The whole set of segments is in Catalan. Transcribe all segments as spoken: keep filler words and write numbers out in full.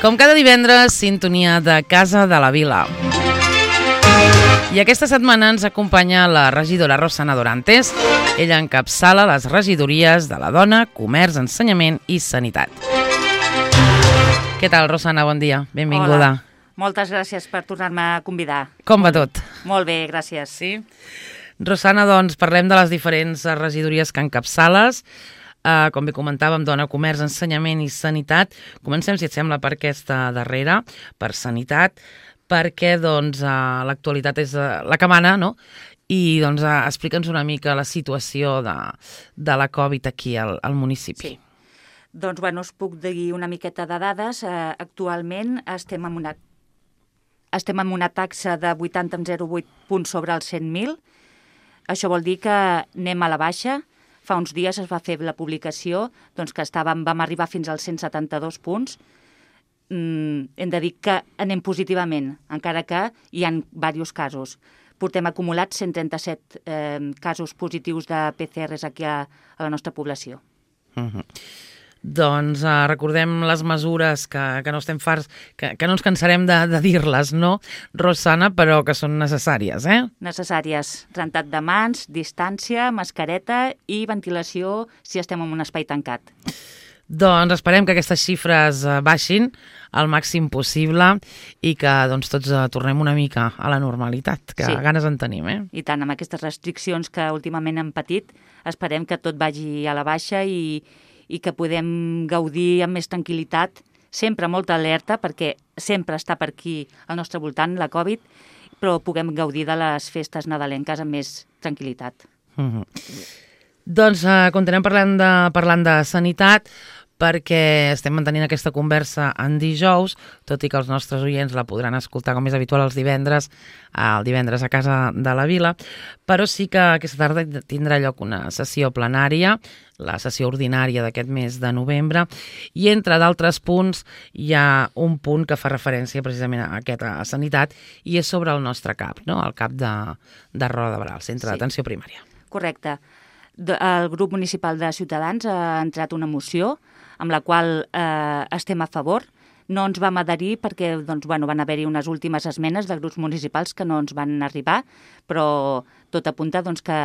Com cada divendres, sintonia de Casa de la Vila. I aquesta setmana ens acompanya la regidora Rosana Dorantes. Ella encapçala les regidories de la Dona, Comerç, Ensenyament i Sanitat. Què tal, Rosana? Bon dia. Benvinguda. Hola. Moltes gràcies per tornar-me a convidar. Com va tot? Molt bé, gràcies. Sí? Rosana, doncs, parlem de les diferents regidories que encapçales. Uh, com bé comentàvem, Dona, Comerç, Ensenyament i Sanitat. Comencem, si et sembla, per aquesta darrera, per Sanitat, perquè doncs, uh, l'actualitat és uh, la que mana, no? I doncs, uh, explica'ns una mica la situació de, de la Covid aquí al, al municipi. Sí. Doncs, bueno, us puc dir una miqueta de dades. Uh, actualment estem amb una, estem amb una taxa de vuitanta coma zero vuit punts sobre els cent mil. Això vol dir que anem a la baixa. Fa uns dies es va fer la publicació doncs, que estàvem, vam arribar fins als cent setanta-dos punts. Mm, hem de dir que anem positivament, encara que hi ha diversos casos. Portem acumulats cent trenta-set eh, casos positius de P C Rs aquí a, a la nostra població. Uh-huh. Doncs uh, recordem les mesures que, que no estem farts, que, que no ens cansarem de, de dir-les, no, Rosana, però que són necessàries, eh? Necessàries. Rentat de mans, distància, mascareta i ventilació si estem en un espai tancat. Doncs esperem que aquestes xifres uh, baixin al màxim possible i que doncs, tots uh, tornem una mica a la normalitat, que sí. Ganes en tenim, eh? I tant, amb aquestes restriccions que últimament hem patit, esperem que tot vagi a la baixa i i que podem gaudir amb més tranquil·litat, sempre molta alerta, perquè sempre està per aquí al nostre voltant la Covid, però puguem gaudir de les festes nadalenques amb més tranquil·litat. Mm-hmm. Doncs uh, continuem parlant de, parlant de sanitat, perquè estem mantenint aquesta conversa en dijous, tot i que els nostres oients la podran escoltar com és habitual els divendres, el divendres a Casa de la Vila, però sí que aquesta tarda tindrà lloc una sessió plenària, la sessió ordinària d'aquest mes de novembre, i entre d'altres punts hi ha un punt que fa referència precisament a aquesta sanitat, i és sobre el nostre CAP, no? El CAP de, de Roda de Barà, el Centre sí. d'Atenció Primària. Correcte. El grup municipal de Ciutadans ha entrat una moció amb la qual eh, estem a favor. No ens vam adherir perquè doncs, bueno, van haver-hi unes últimes esmenes de grups municipals que no ens van arribar, però tot apunta doncs, que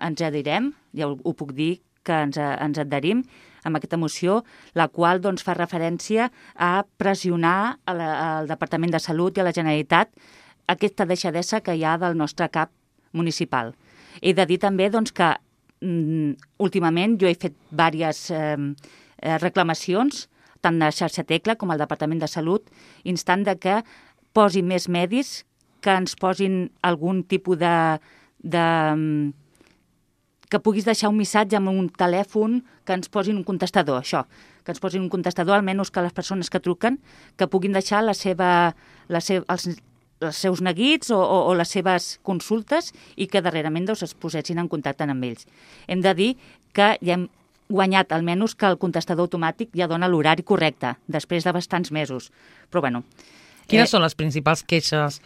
ens adherem, ja ho, ho puc dir, que ens, ens adherim amb aquesta moció, la qual doncs, fa referència a pressionar a la, al Departament de Salut i a la Generalitat aquesta deixadesa que hi ha del nostre CAP municipal. He de dir també doncs, que mm, últimament jo he fet diverses eh, reclamacions, tant a Xarxa Tecla com al Departament de Salut, instant de que posi més medis, que ens posin algun tipus de, de... que puguis deixar un missatge amb un telèfon, que ens posin un contestador, això, que ens posin un contestador, almenys que les persones que truquen, que puguin deixar la seva, la seva, els, els seus neguits o, o, o les seves consultes i que darrerament doncs, es posessin en contacte amb ells. Hem de dir que ja hem guanyat almenys que el contestador automàtic ja dona l'horari correcte, després de bastants mesos. Però bueno... Quines eh, són les principals queixes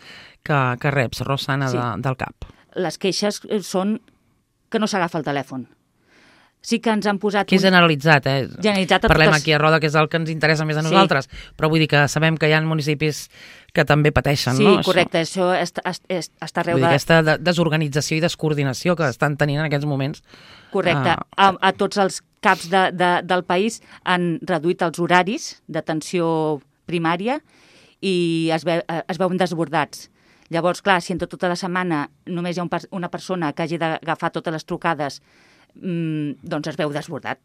que, que reps, Rosana, sí. de, del CAP? Les queixes són que no s'agafa el telèfon. Sí que ens han posat... Que és generalitzat, eh? Generalitzat a Parlem totes... aquí a Roda, que és el que ens interessa més a nosaltres, sí. Però vull dir que sabem que hi ha municipis que també pateixen, sí, no? Sí, correcte, això, això està, està arreu vull dir, de... aquesta desorganització i descoordinació que estan tenint en aquests moments. Correcte. Uh... A, a tots els CAPs de, de, del país han reduït els horaris d'atenció primària i es, ve, es veuen desbordats. Llavors, clar, si en tota la setmana només hi ha un, una persona que hagi d'agafar totes les trucades, mmm, doncs es veu desbordat.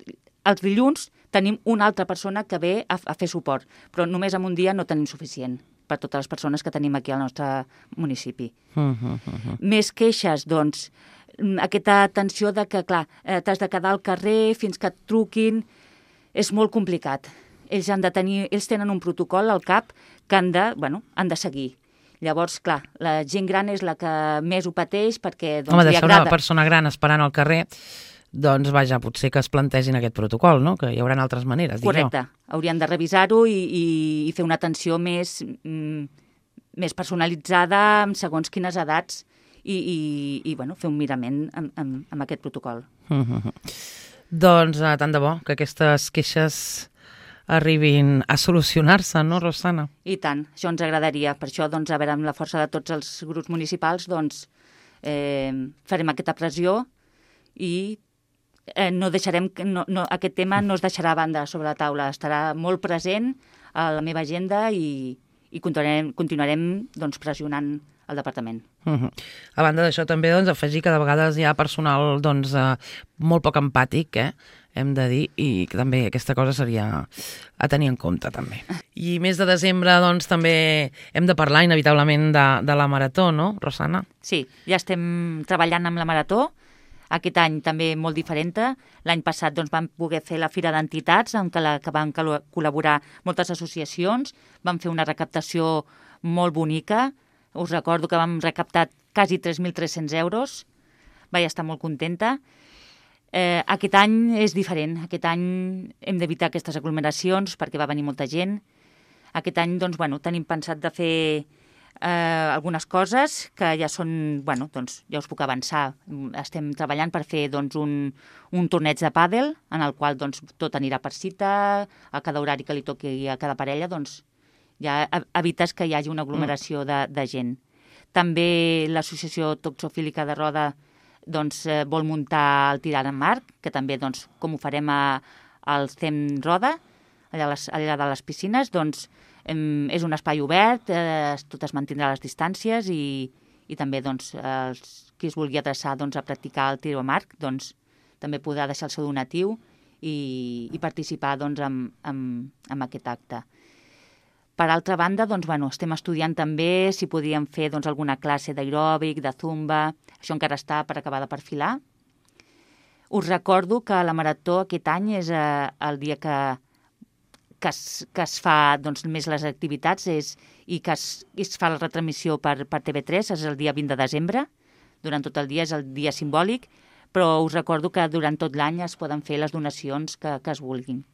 Els dilluns tenim una altra persona que ve a, a fer suport, però només en un dia no tenim suficient per totes les persones que tenim aquí al nostre municipi. Uh -huh, uh -huh. Més queixes, doncs, aquesta tensió de que, clar, eh, t'has de quedar al carrer fins que et truquin, és molt complicat. Ells, han de tenir, ells tenen un protocol al CAP que han de, bueno, han de seguir. Llavors, clar, la gent gran és la que més ho pateix perquè doncs, Home, li deixar agrada. Una persona gran esperant al carrer, doncs vaja, potser que es plantegin aquest protocol, no? Que hi haurà altres maneres, dic jo. Correcte, haurien de revisar-ho i, i, i fer una atenció més, mm, més personalitzada amb segons quines edats i, i, i bueno, fer un mirament amb, amb, amb aquest protocol. Uh-huh. Doncs uh, tant de bo que aquestes queixes arribin a solucionar-se, no, Rosana? I tant, això ens agradaria. Per això, doncs, a veure, amb la força de tots els grups municipals, doncs, eh, farem aquesta pressió i eh, no deixarem, no, no, aquest tema no es deixarà a banda sobre la taula, estarà molt present a la meva agenda i, i continuarem, continuarem doncs, pressionant el departament. Uh -huh. A banda d'això, també doncs, afegir que de vegades hi ha personal doncs, eh, molt poc empàtic, eh? hem de dir, i que també aquesta cosa seria a tenir en compte, també. I mes de desembre, doncs, també hem de parlar, inevitablement, de, de la Marató, no, Rosana? Sí, ja estem treballant amb la Marató. Aquest any també molt diferent. L'any passat doncs, vam poder fer la Fira d'Entitats, en què, la, que van col·laborar moltes associacions. Vam fer una recaptació molt bonica. Us recordo que vam recaptar quasi tres mil tres-cents euros. Vaig estar molt contenta. Eh, aquest any és diferent. Aquest any hem d'evitar aquestes aglomeracions perquè va venir molta gent. Aquest any doncs, bueno, tenim pensat de fer eh, algunes coses que ja són, bueno, doncs, ja us puc avançar. Estem treballant per fer doncs, un, un torneig de pàdel en el qual doncs, tot anirà per cita, a cada horari que li toqui a cada parella, doncs ja evites que hi hagi una aglomeració de, de gent. També l'associació toxofílica de Roda doncs, eh, vol muntar el tir amb arc, que també, doncs, com ho farem a, al C E M Roda, allà, les, allà de les piscines, doncs em, és un espai obert, eh, tot es mantindrà les distàncies i, i també doncs, els, qui es vulgui adreçar doncs, a practicar el tir amb arc doncs, també podrà deixar el seu donatiu i, i participar doncs, en, en, en aquest acte. Per altra banda, doncs, bueno, estem estudiant també si podríem fer doncs, alguna classe d'aeròbic, de zumba. Això encara està per acabar de perfilar. Us recordo que la Marató aquest any és eh, el dia que, que, es, que es fa doncs, més les activitats és, i que es, es fa la retransmissió per, per T V tres, és el dia vint de desembre. Durant tot el dia és el dia simbòlic, però us recordo que durant tot l'any es poden fer les donacions que, que es vulguin.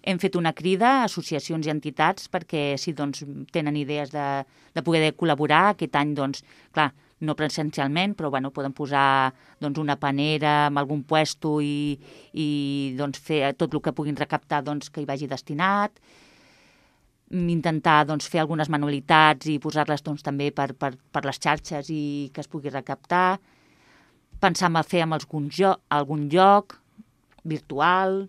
Hem fet una crida a associacions i entitats perquè si doncs, tenen idees de, de poder col·laborar. Aquest any, doncs, clar, no presencialment, però bueno, poden posar doncs, una panera amb algun puesto i, i doncs, fer tot el que puguin recaptar doncs, que hi vagi destinat. Intentar doncs, fer algunes manualitats i posar-les doncs, també per, per, per les xarxes i que es pugui recaptar. Pensar en fer amb algun joc, algun lloc virtual.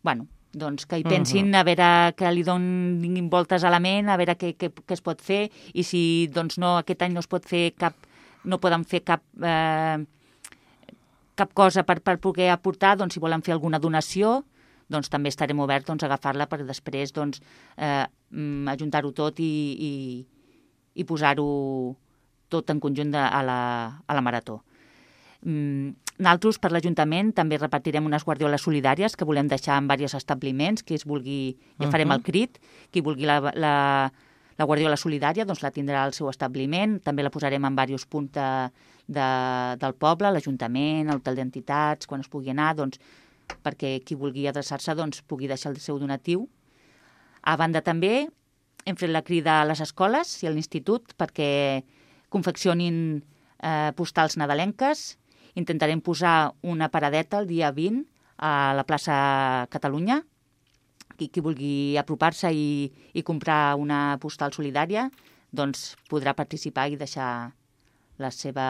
Bueno, doncs que hi pensin, a veure que li donin voltes a la ment, a veure què, què, què es pot fer, i si doncs, no, aquest any no es pot fer cap, no poden fer cap, eh, cap cosa per, per poder aportar, doncs si volen fer alguna donació, doncs també estarem oberts doncs, a agafar-la per després doncs, eh, ajuntar-ho tot i, i, i posar-ho tot en conjunt de, a, la, a la Marató. Mm, Nosaltres, per l'Ajuntament, també repartirem unes guardioles solidàries que volem deixar en diversos establiments, qui es vulgui, ja farem el crit, qui vulgui la, la, la guardiola solidària doncs la tindrà al seu establiment, també la posarem en diversos punts de, de, del poble, l'Ajuntament, l'hotel d'entitats, quan es pugui anar, doncs, perquè qui vulgui adreçar-se doncs, pugui deixar el seu donatiu. A banda també, hem fet la crida a les escoles i a l'institut perquè confeccionin eh, postals nadalenques. Intentarem posar una paradeta el dia vint a la plaça Catalunya. Qui, qui vulgui apropar-se i, i comprar una postal solidària doncs podrà participar i deixar la seva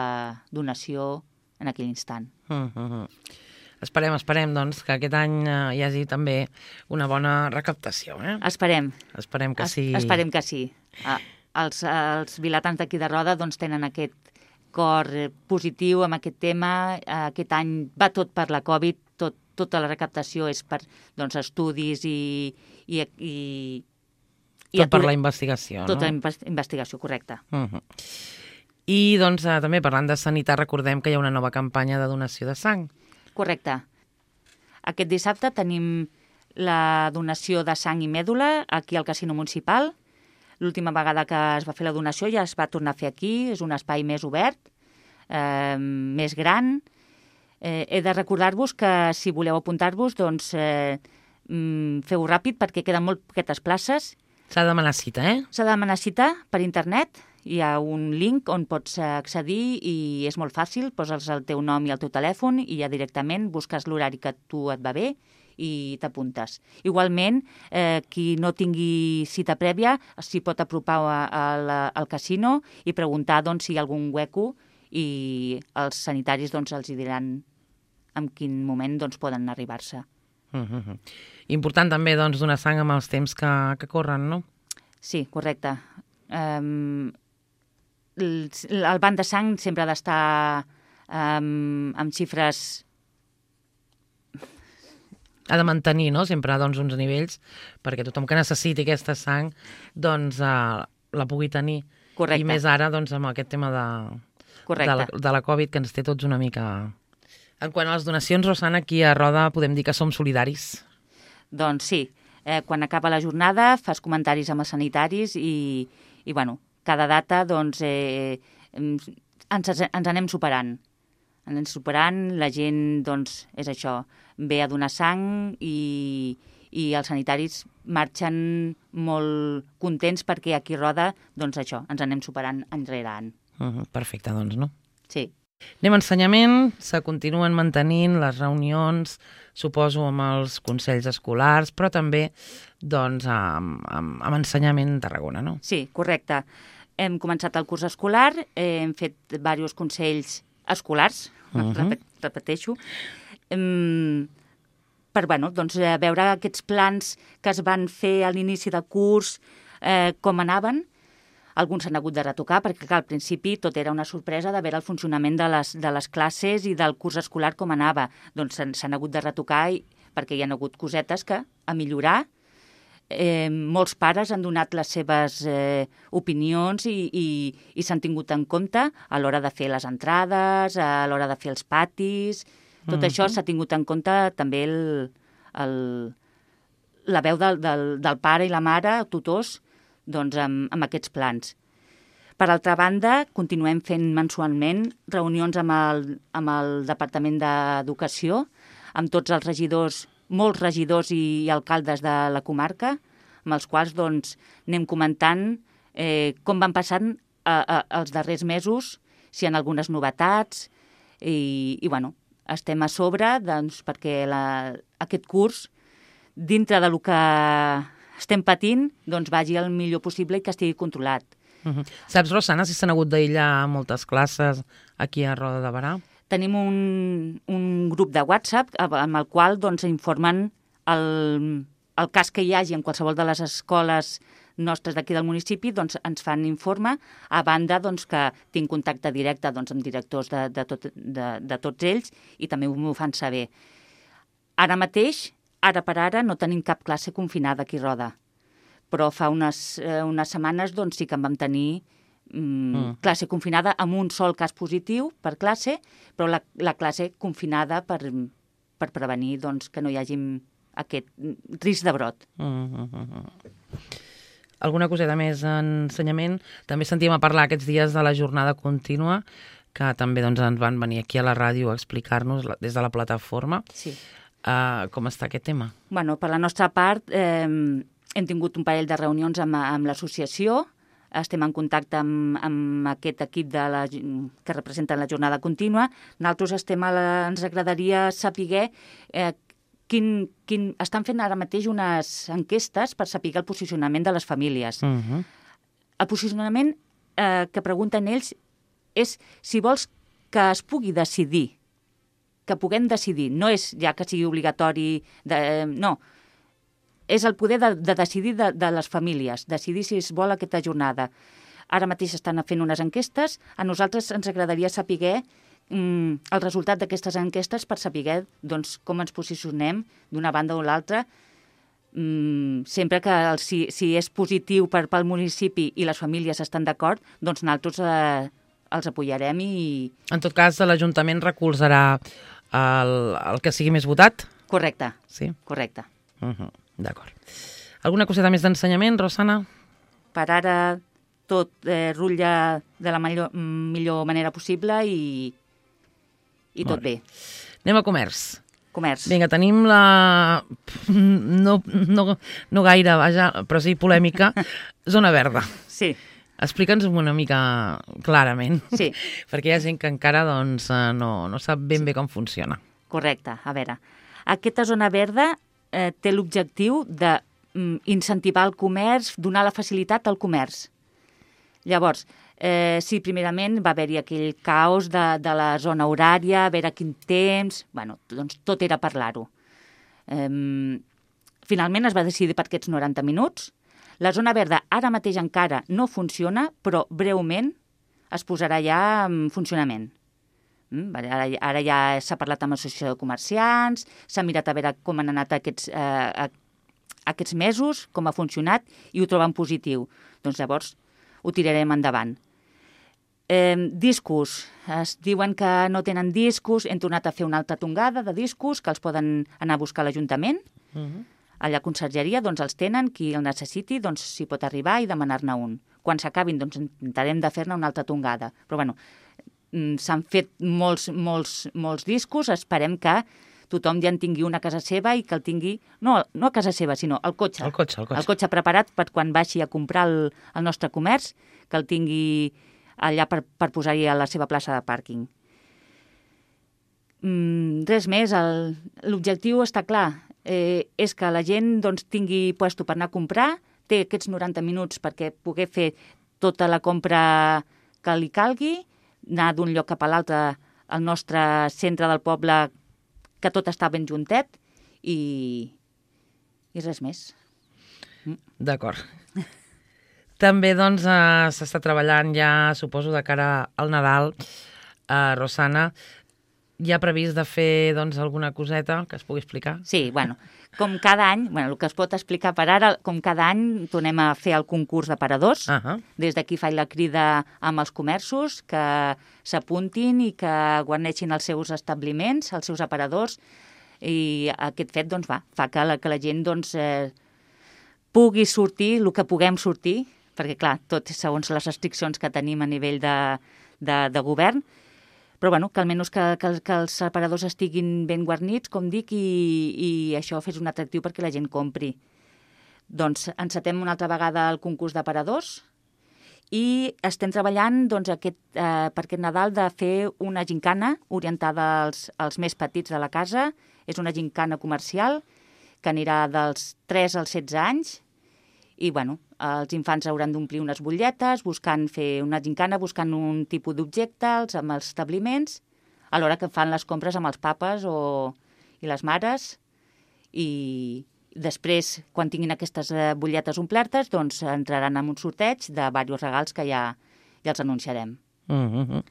donació en aquell instant. Uh -huh. Esperem, esperem, doncs, que aquest any eh, hi hagi també una bona recaptació. Eh? Esperem. Esperem que sí. Es, esperem que sí. Ah, els, els vilatans d'aquí de Roda doncs, tenen aquest cor positiu amb aquest tema. Aquest any va tot per la Covid, tot, tota la recaptació és per doncs, estudis i... i, i, i tot per la investigació, tota no? Tota la investigació, correcte. Uh -huh. I doncs eh, també parlant de sanitat recordem que hi ha una nova campanya de donació de sang. Correcte. Aquest dissabte tenim la donació de sang i mèdula aquí al Casino Municipal. L'última vegada que es va fer la donació ja es va tornar a fer aquí, és un espai més obert, eh, més gran. Eh, he de recordar-vos que si voleu apuntar-vos, doncs eh, feu ràpid perquè queden molt poquetes places. S'ha de demanar cita, eh? S'ha de demanar cita per internet, hi ha un link on pots accedir i és molt fàcil, poses el teu nom i el teu telèfon i ja directament busques l'horari que a tu et va bé i t'apuntes. Igualment, eh, qui no tingui cita prèvia s'hi pot apropar a, a la, al casino i preguntar doncs, si hi ha algun hueco i els sanitaris doncs, els hi diran en quin moment doncs, poden arribar-se. Mm-hmm. Important també doncs, donar sang amb els temps que, que corren, no? Sí, correcte. Um, el, el banc de sang sempre ha d'estar um, amb xifres... Ha de mantenir, no?, sempre doncs, uns nivells perquè tothom que necessiti aquesta sang doncs, uh, la pugui tenir. Correcte. I més ara doncs, amb aquest tema de, de, la, de la Covid que ens té tots una mica... En quant a les donacions, Rosana, aquí a Roda podem dir que som solidaris. Doncs sí. Eh, quan acaba la jornada fas comentaris amb els sanitaris i, i bueno, cada data doncs, eh, ens, ens anem superant. Ens anem superant, la gent doncs, és això, ve a donar sang i, i els sanitaris marxen molt contents perquè aquí a Roda, doncs això, ens anem superant any rere any. Uh-huh, perfecte, doncs, no? Sí. Anem a ensenyament, se continuen mantenint les reunions, suposo, amb els consells escolars, però també doncs, amb, amb, amb ensenyament a Tarragona, no? Sí, correcte. Hem començat el curs escolar, eh, hem fet diversos consells escolars, uh-huh. repet, repeteixo, um, per bueno, doncs, veure aquests plans que es van fer a l'inici del curs, eh, com anaven. Alguns s'han hagut de retocar perquè clar, al principi tot era una sorpresa de veure el funcionament de les, de les classes i del curs escolar com anava. Doncs s'han hagut de retocar i, perquè hi ha hagut cosetes que a millorar. Eh, molts pares han donat les seves eh, opinions i, i, i s'han tingut en compte a l'hora de fer les entrades, a l'hora de fer els patis. Tot mm-hmm. això s'ha tingut en compte també el, el, la veu del, del, del pare i la mare, tutors, doncs, amb, amb aquests plans. Per altra banda, continuem fent mensualment reunions amb el, amb el Departament d'Educació, amb tots els regidors, molts regidors i alcaldes de la comarca, amb els quals doncs, anem comentant eh, com van passant a, a, els darrers mesos, si hi ha algunes novetats, i, i bueno, estem a sobre doncs, perquè la, aquest curs, dintre del que estem patint, doncs vagi el millor possible i que estigui controlat. Uh-huh. Saps, Rosana, si s'han hagut d'aïllar moltes classes aquí a Roda de Berà? Tenim un, un grup de WhatsApp amb el qual doncs, informen el, el cas que hi hagi en qualsevol de les escoles nostres d'aquí del municipi, doncs ens fan informe, a banda doncs, que tinc contacte directe doncs, amb directors de, de, tot, de, de tots ells i també m'ho fan saber. Ara mateix, ara per ara, no tenim cap classe confinada aquí a Roda, però fa unes, eh, unes setmanes doncs, sí que en vam tenir mm, mm. classe confinada amb un sol cas positiu per classe, però la, la classe confinada per, per prevenir doncs, que no hi hagi aquest risc de brot. Mm -hmm. Alguna coseta més en ensenyament? També sentíem a parlar aquests dies de la jornada contínua, que també doncs, ens van venir aquí a la ràdio a explicar-nos des de la plataforma. Sí. Uh, com està aquest tema? Bueno, per la nostra part, eh, hem tingut un parell de reunions amb, amb l'associació, estem en contacte amb, amb aquest equip de la, que representa la jornada contínua. Nosaltres estem a la, ens agradaria saber eh, quin, quin... Estan fent ara mateix unes enquestes per saber el posicionament de les famílies. Uh-huh. El posicionament eh, que pregunten ells és si vols que es pugui decidir, que puguem decidir, no és ja que sigui obligatori, de, no, és el poder de, de decidir de, de les famílies, decidir si es vol aquesta jornada. Ara mateix estan fent unes enquestes, a nosaltres ens agradaria saber mm, el resultat d'aquestes enquestes per saber doncs, com ens posicionem d'una banda o l'altra, mm, sempre que el, si, si és positiu per, pel municipi i les famílies estan d'acord, doncs nosaltres eh, els apoyarem i... En tot cas, l'Ajuntament recolzarà el, el que sigui més votat? Correcte. Sí? Correcte. Uh-huh. D'acord. Alguna coseta més d'ensenyament, Rosana? Per ara tot eh, rutlla de la millor, millor manera possible i, i tot bé. Anem a comerç. Comerç. Vinga, tenim la... No, no, no gaire, vaja, però sí polèmica, zona verda. Sí. Explica'ns una mica clarament, sí. perquè hi ha gent que encara doncs, no, no sap ben bé com funciona. Correcte. A veure, aquesta zona verda eh, té l'objectiu d'incentivar el comerç, donar la facilitat al comerç. Llavors, eh, sí, primerament va haver-hi aquell caos de, de la zona horària, a veure quin temps... Bueno, doncs tot era parlar-ho. Eh, finalment es va decidir per aquests noranta minuts. La zona verda ara mateix encara no funciona, però breument es posarà ja en funcionament. Ara, ara ja s'ha parlat amb l'associació de comerciants, s'ha mirat a veure com han anat aquests, eh, aquests mesos, com ha funcionat, i ho troben positiu. Doncs llavors ho tirarem endavant. Eh, discos. Es diuen que no tenen discos, hem tornat a fer una altra tongada de discos que els poden anar a buscar a l'Ajuntament. Uh -huh. A la consergeria doncs, els tenen, qui el necessiti doncs, s'hi pot arribar i demanar-ne un. Quan s'acabin doncs, intentarem de fer-ne una altra tongada. Però bueno, s'han fet molts, molts, molts discos, esperem que tothom ja en tingui una a casa seva i que el tingui, no, no a casa seva, sinó al cotxe. El cotxe, el cotxe. El cotxe preparat per quan vagi a comprar el, el nostre comerç, que el tingui allà per, per posar-hi a la seva plaça de pàrquing. Mm, res més, el, l'objectiu està clar, eh, és que la gent doncs, tingui puesto per anar a comprar, té aquests noranta minuts perquè pugui fer tota la compra que li calgui, anar d'un lloc cap a l'altre al nostre centre del poble, que tot està ben juntet, i, i res més. D'acord. També doncs, eh, s'està treballant ja, suposo, de cara al Nadal, eh, Rosana. Hi ha previst de fer doncs, alguna coseta que es pugui explicar? Sí, bueno, com cada any, bueno, el que es pot explicar per ara, com cada any tornem a fer el concurs d'aparadors. Uh -huh. Des d'aquí faig la crida amb els comerços que s'apuntin i que guarneixin els seus establiments, els seus aparadors, i aquest fet doncs, va, fa que la, que la gent doncs, eh, pugui sortir el que puguem sortir, perquè clar, tot segons les restriccions que tenim a nivell de, de, de govern, però bueno, que almenys que, que, que els aparadors estiguin ben guarnits, com dic, i, i això fes un atractiu perquè la gent compri. Doncs encetem una altra vegada el concurs d'aparadors i estem treballant doncs, aquest, eh, per aquest Nadal de fer una gincana orientada als, als més petits de la casa. És una gincana comercial que anirà dels tres als setze anys i bueno, els infants hauran d'omplir unes butlletes, buscant fer una gincana, buscant un tipus d'objecte amb els establiments, a l'hora que fan les compres amb els papes o, i les mares. I després, quan tinguin aquestes butlletes omplertes, doncs entraran en un sorteig de diversos regals que ja, ja els anunciarem. Mm-hmm.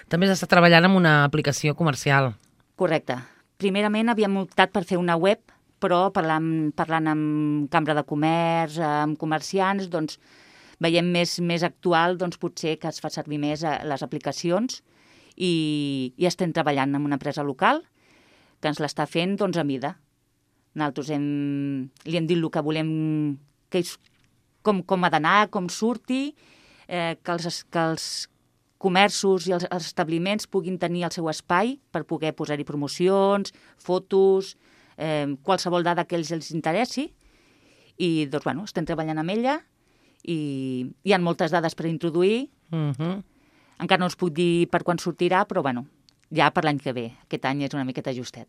També s'està treballant amb una aplicació comercial. Correcte. Primerament havíem optat per fer una web, però parlant, parlant amb Cambra de Comerç, amb comerciants, doncs veiem més, més actual, doncs potser que es fa servir més les aplicacions i, i estem treballant amb una empresa local que ens l'està fent doncs, a mida. Nosaltres hem, li hem dit el que volem, que és, com, com ha d'anar, com surti, eh, que, els, que els comerços i els, els establiments puguin tenir el seu espai per poder posar-hi promocions, fotos, eh, qualsevol dada que ells els interessi. I doncs, bueno, estem treballant amb ella i hi ha moltes dades per introduir. Uh-huh. Encara no us puc dir per quan sortirà, però bueno, ja per l'any que ve. Aquest any és una miqueta justet.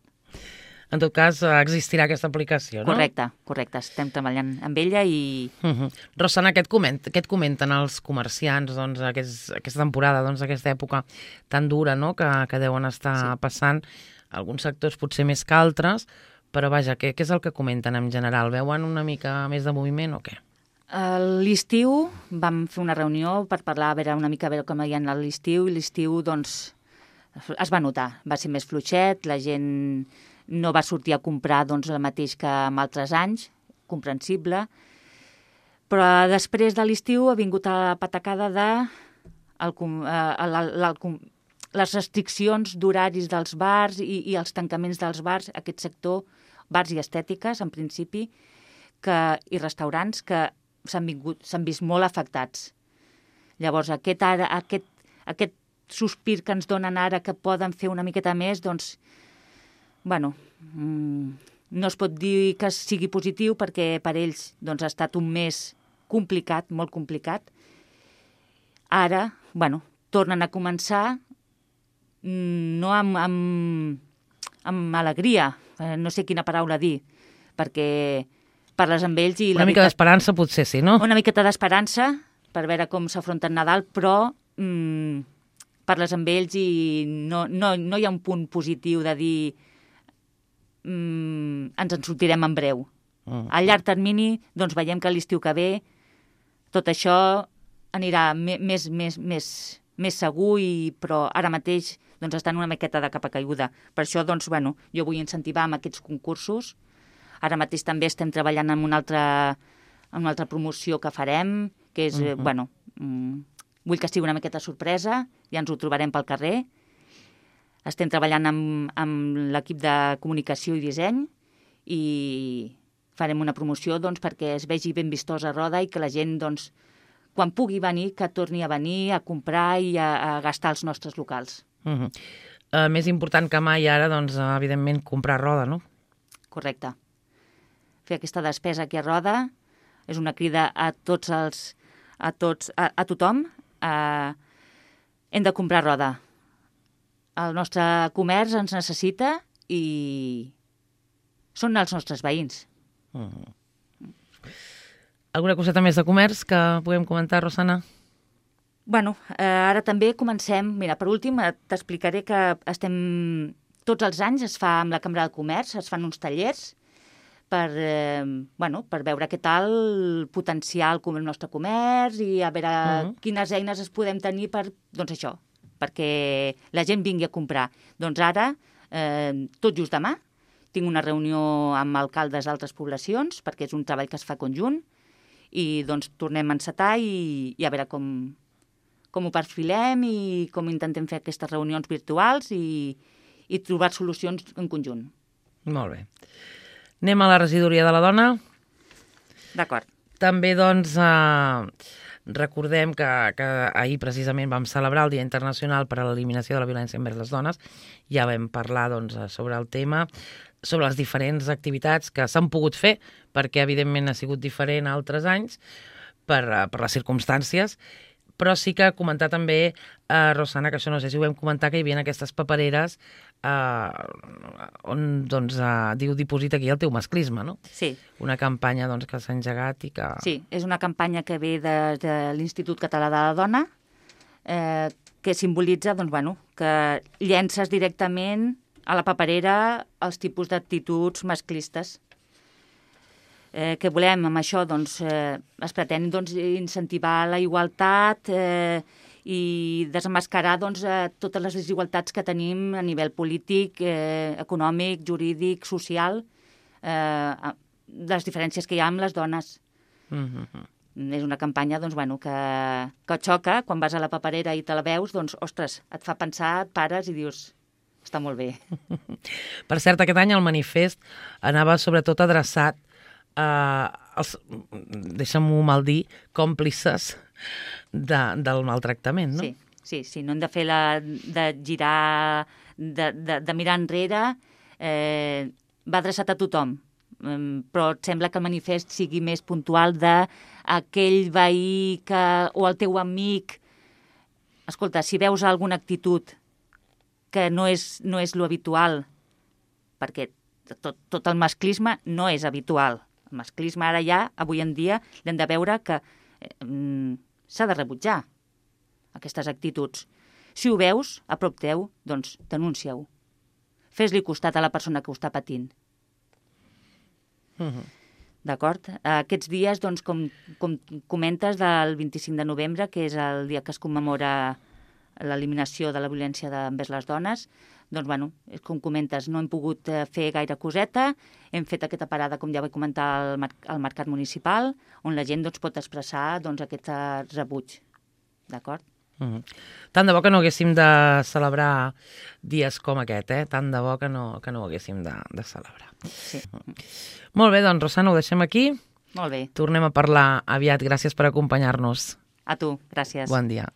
En tot cas, existirà aquesta aplicació, no? Correcte, correcte. Estem treballant amb ella i... Uh-huh. Rosana, què et, coment, què et comenten els comerciants doncs, aquest, aquesta temporada, doncs, aquesta època tan dura, no?, que, que deuen estar sí. passant, alguns sectors potser més que altres, però vaja, què, què és el que comenten en general? Veuen una mica més de moviment o què? A l'estiu vam fer una reunió per parlar, a veure una mica a veure com hi ha anat l'estiu, i l'estiu, doncs, es va notar. Va ser més fluixet, la gent no va sortir a comprar doncs, el mateix que en altres anys, comprensible, però després de l'estiu ha vingut a la patacada de el, el, el, el, les restriccions d'horaris dels bars i, i els tancaments dels bars, aquest sector, bars i estètiques, en principi, que, i restaurants que s'han s'han vist molt afectats. Llavors, aquest, ara, aquest, aquest sospir que ens donen ara que poden fer una miqueta més, doncs, bueno, mmm, no es pot dir que sigui positiu perquè per ells doncs, ha estat un mes complicat, molt complicat. Ara, bueno, tornen a començar no amb, amb, amb alegria, no sé quina paraula dir, perquè parles amb ells i... Una mica d'esperança potser sí, no? Una miqueta d'esperança per veure com s'afronta el Nadal, però mmm, parles amb ells i no, no, no hi ha un punt positiu de dir mmm, ens en sortirem en breu. Mm. A llarg termini, doncs veiem que l'estiu que ve tot això anirà més, més, més, més segur, i, però ara mateix doncs, està en una miqueta de capa caiguda. Per això doncs, bueno, jo vull incentivar amb aquests concursos. Ara mateix també estem treballant en una altra, en una altra promoció que farem, que és, uh-huh. bueno, mm, vull que sigui una miqueta sorpresa, ja ens ho trobarem pel carrer. Estem treballant amb, amb l'equip de comunicació i disseny i farem una promoció doncs, perquè es vegi ben vistosa a Roda i que la gent, doncs, quan pugui venir, que torni a venir a comprar i a, a gastar als nostres locals. Uh-huh. uh, més important que mai ara, doncs, evidentment, comprar Roda, no? Correcte. Fer aquesta despesa aquí a Roda és una crida a tots els, a tots, a, a tothom. Uh, hem de comprar Roda. El nostre comerç ens necessita i són els nostres veïns. Uh-huh. Alguna coseta més de comerç que puguem comentar, Rosana? Bueno, eh, ara també comencem... Mira, per últim, t'explicaré que estem... Tots els anys es fa amb la Cambra de Comerç, es fan uns tallers per, eh, bueno, per veure què tal potenciar el nostre comerç i a veure uh-huh. quines eines es podem tenir per, doncs això, perquè la gent vingui a comprar. Doncs ara, eh, tot just demà, tinc una reunió amb alcaldes d'altres poblacions, perquè és un treball que es fa conjunt, i doncs tornem a encetar i, i a veure com, com ho perfilem i com intentem fer aquestes reunions virtuals i, i trobar solucions en conjunt. Molt bé. Anem a la regidoria de la dona. D'acord. També, doncs, eh, recordem que, que ahir precisament vam celebrar el Dia Internacional per a l'Eliminació de la Violència envers les Dones. Ja vam parlar, doncs, sobre el tema, sobre les diferents activitats que s'han pogut fer, perquè evidentment ha sigut diferent a altres anys per, per les circumstàncies, però sí que comentar també, eh, Rosana, que això no sé si ho vam comentar, que hi havia aquestes papereres eh, on doncs, eh, diu diposita aquí el teu masclisme, no? Sí. Una campanya doncs, que s'ha engegat i que... Sí, és una campanya que ve de, de l'Institut Català de la Dona, eh, que simbolitza doncs, bueno, que llences directament a la paperera els tipus d'actituds masclistes. Eh, què volem amb això? Doncs, eh, es pretén doncs, incentivar la igualtat eh, i desenmascarar doncs, eh, totes les desigualtats que tenim a nivell polític, eh, econòmic, jurídic, social, eh, les diferències que hi ha amb les dones. Mm-hmm. És una campanya doncs, bueno, que, que xoca. Quan vas a la paperera i te la veus, doncs, ostres, et fa pensar, et pares i dius... Està molt bé. Per cert, aquest any el manifest anava sobretot adreçat a els, deixa'm-ho mal dir, còmplices de, del maltractament, no? Sí, sí, sí, no hem de fer la... de girar, de, de, de mirar enrere, eh, va adreçat a tothom, però et sembla que el manifest sigui més puntual d'aquell veí que, o el teu amic. Escolta, si veus alguna actitud que no és, no és lo habitual, perquè tot, tot el masclisme no és habitual. El masclisme ara ja, avui en dia, l'hem de veure que eh, s'ha de rebutjar aquestes actituds. Si ho veus a prop teu, doncs denúncia-ho. Fes-li costat a la persona que ho està patint. Uh-huh. D'acord? Aquests dies, doncs, com, com comentes, del vint-i-cinc de novembre, que és el dia que es commemora l'eliminació de la violència envers les dones, doncs, bueno, com comentes, no hem pogut fer gaire coseta, hem fet aquesta parada, com ja vaig comentar, al, mar al Mercat Municipal, on la gent doncs, pot expressar doncs, aquest rebuig. D'acord? Mm-hmm. Tant de bo que no haguéssim de celebrar dies com aquest, eh? Tant de bo que no, que no ho haguéssim de, de celebrar. Sí. Molt bé, doncs, Rosana, ho deixem aquí. Molt bé. Tornem a parlar aviat. Gràcies per acompanyar-nos. A tu, gràcies. Bon dia.